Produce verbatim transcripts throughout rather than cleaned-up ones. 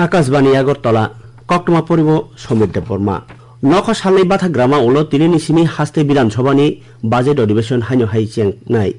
Akashbani Agartala, koktwma poribo Somir Debbarma. Nokha salnwi bathagrama ulo tinini simi haste Bidhan Sabhani budget adhibeshon haino hai chengnai.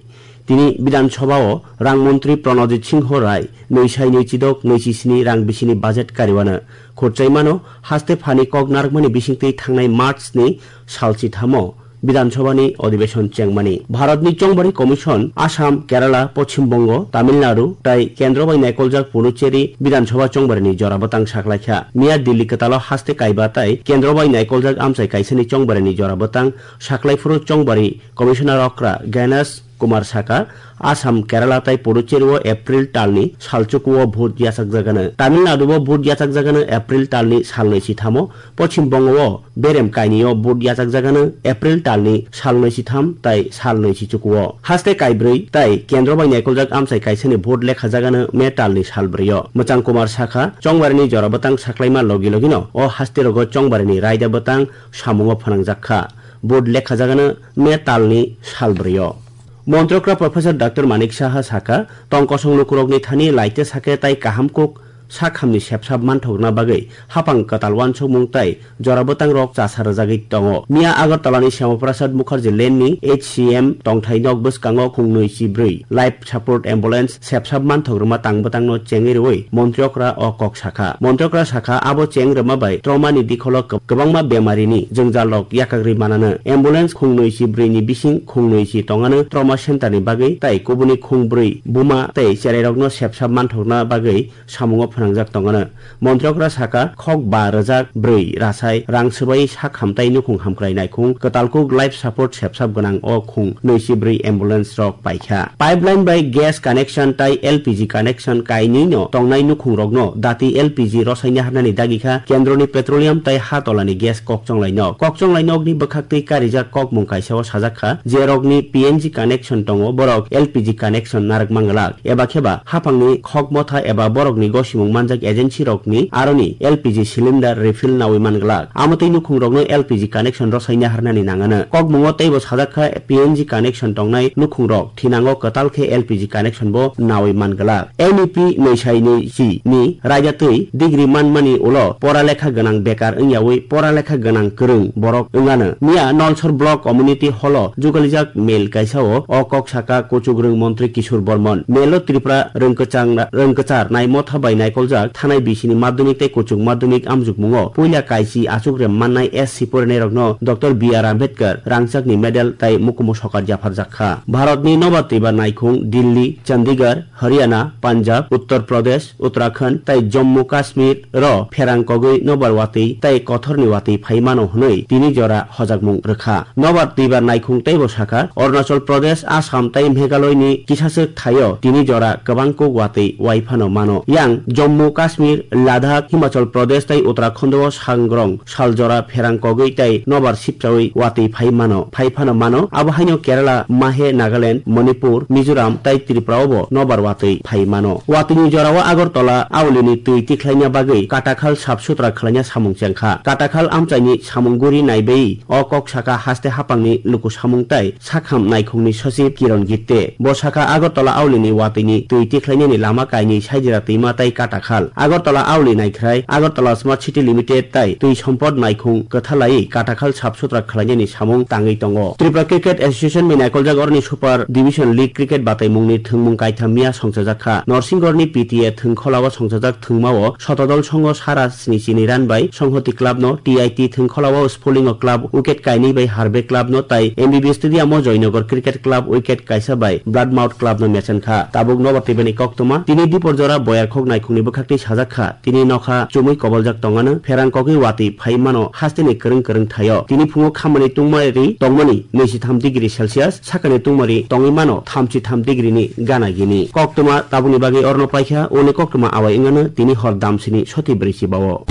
Tini Bidhan Sabha o rang montri Pranajit Singho Rai nwi sai nwi chidok nwi chi sni rang bisini budget kariwano khurchaimano haste phani kok narwkmani bisingtwi thangnai March ni sal chithamo Bidhan Sabhani adhibeshon chengmani. Bharatni Chongbari Commission, Assam, Kerala, Poschim Bongo, Tamil Nadu tai kendro bai naikoljak Puducherry Bidhan Sabha chongbarini jora bwtang saklaikha. Miya Delhi kwtalo haste kaiba tai kendro bai naikoljak amchai kaisani chongbarini jora bwtang saklaiphuru chongbari Commissioner okra Ganesh Kumar saka, Assam, Kerala tai Puducherry o April talni salchuku o vote yachakjagano. Tamil Nadu o vote yachakjagano April talni salnwi sithamo. Poschim Bongo o berem kainwi o vote yachakjagano April talni salnwi sitham tai salnwi sichuku o. Haste kaibrwi tai kendro bai naikoljak amchai kaisani vote lekhajagano May talni salbrwi o. Mwchang Kumar saka, chongbarini jora bwtang saklaima logi logino o haste rogo chongbarini raida bwtang samungo phwnangjakha. Vote lekhajagano May talni salbrwi o. Montrokra Professor Doctor Manik Saha saka, tong kosong lukurokni thani laite sake tai kaham kuk sakhamni sepsap manthokna bagwi hapang kwtal uansukmung tai jora bwtangrok chasa rwjagwi tongo. Miya Agartalani Shyama Prasad Mukherjee Lane ni H C M tongthai nok bwskango khungnwi chibrwi life support ambulance sepsap manthok rwma tang bwtangno chengwi rwui montri okra o kok sakha. Montri okra sakha, abo cheng rwma bai trauma ni dikholo kwb-, kwbangma bemarini jwngjalrok yakagri manano. Ambulance khungnwi chi brwi ni bising khungnwi chi tongano trauma center ni bagwi tai kubuni khungbrwi buma tai cherairokno sepsap manthokna bagwi samungo phwnangjak tongano. Montri okra saka, khok ba rwjak brwi rasai rang swbai sak hamtai nukhung hamkrai naikhung kwtal kuk life support sepsap gwnang o khung nwi chi brwi ambulance rok paikha. Pipeline bai gas connection tai L P G connection kainwi no tongnai nukhung rokno dati L P G rosaina harnani dagikha kendroni petroleum tai ha tolani gas kokchonglai nok. Kokchonglai nokni bwkhaktwi karijak kokmung kaisa o sajak kha, je rokni P N G connection tongo borok L P G connection narwk manglak. Eba kheba haphangni khok motha eba borokni gosimung manjak agency rokni aroni L P G cylinder refill nawi man glak. Amotwi nukhung rokno L P G connection rosaina harnani nangano. Kokmungo teibo sajak kha P N G connection tongnai nukhung rok thinango kwtal khe L P G connection bo nawi man glak. M E P nwi sai nwi chi ni raida twi degree manmani ulo pora lekha gwnang bekar wngyawi pora lekha gwnang kwrwng borok wngano. Miya Nalsor Block Community Hall o jugalijak mel kaisa o o kok saka kuchukrwng montri Kishore Bormon. Mel o Tripura rwngkwchang-, rwngkwchar nai motha bai naikoljak thanai bisini madhyamik tei kuchuk madhyamik amjukmungo puila kaisi achukrem mannai S C porinairokno Doctor B R Ambedkar rangchakni medal tai mukumu sokar yapharjak kha. Bharatni nobar twibar naikhung Delhi, Chandigarh, Haryana, Punjab, Uttar Pradesh, Uttarakhand tai Jammu Kashmir ro pherang kogwi nobar watwi tai kothorni watwi phai mano hwnwi tini jora hojakmung rwkha. Nobar twibar naikhung teibo sakha, Arunachal Pradesh, Assam tai Meghalaya ni kisaswk thaio tini jora kwbang kuk watwi wai phano mano. Yang Jammu Kashmir, Ladakh, Himachal Pradesh tai Uttarakhand o sangrong sal jora pherang kogwi tai nobar sipchawi watwi phai mano, phai phano mano. Abo haino Kerala, Mahe, Nagaland, Manipur, Mizoram tai Tripura o bo nobar watwi phai mano. Watwini jorao Agartala aulini twi tikhlaina bagwi katakhal sap sutra khwlaina samung chengkha. Katakhal amchaini samung guri naibai o kok saka haste haphangni luku samung tai sakham naikhungni sochib Kiron Gitte. Bo saka Agartala aulini watwini twi tikhlainani lama kainwi Saidira twima tai katakhal. Agartala auli naikhrai Agartala Smart City Limited tai twi sompot naikhung kwthalai katakhal sap sutra khwlainani samung tangwi tongo. Tripura Cricket Association bai naikoljago oroni Super Division League cricket bataimungni thwngmung kaitham miya songchajak kha. Norsinggorni P T A thwngkholao songchajak thwngmao Sotodol Songho sara sni chini run bai Songhoti club no, T I T thwngkholao Spolingo club wicket kainwi bai Harbe club no tai M B B Stadium o Joynagar Cricket Club wicket kaisa bai Bloodmouth club no mechen kha. Tabuk nobar twibani koktwma tini dipor jora boyar khok naikhungni bwkhaktwi sajak kha. Tini nokha chumui koboljak tongano pherang kogwi watwi phai mano hasteni kwrwng kwrwng thaio. Tini phungo khamani tungmari tongmani nwi chi tham degree Celsius, sakani tungmari tongwi mano tham chi tham degree ni gana gini. Koktwma tabukni bagwi orno paikha, uni koktwma awai wngano tini hor damsini soti brwi chibao.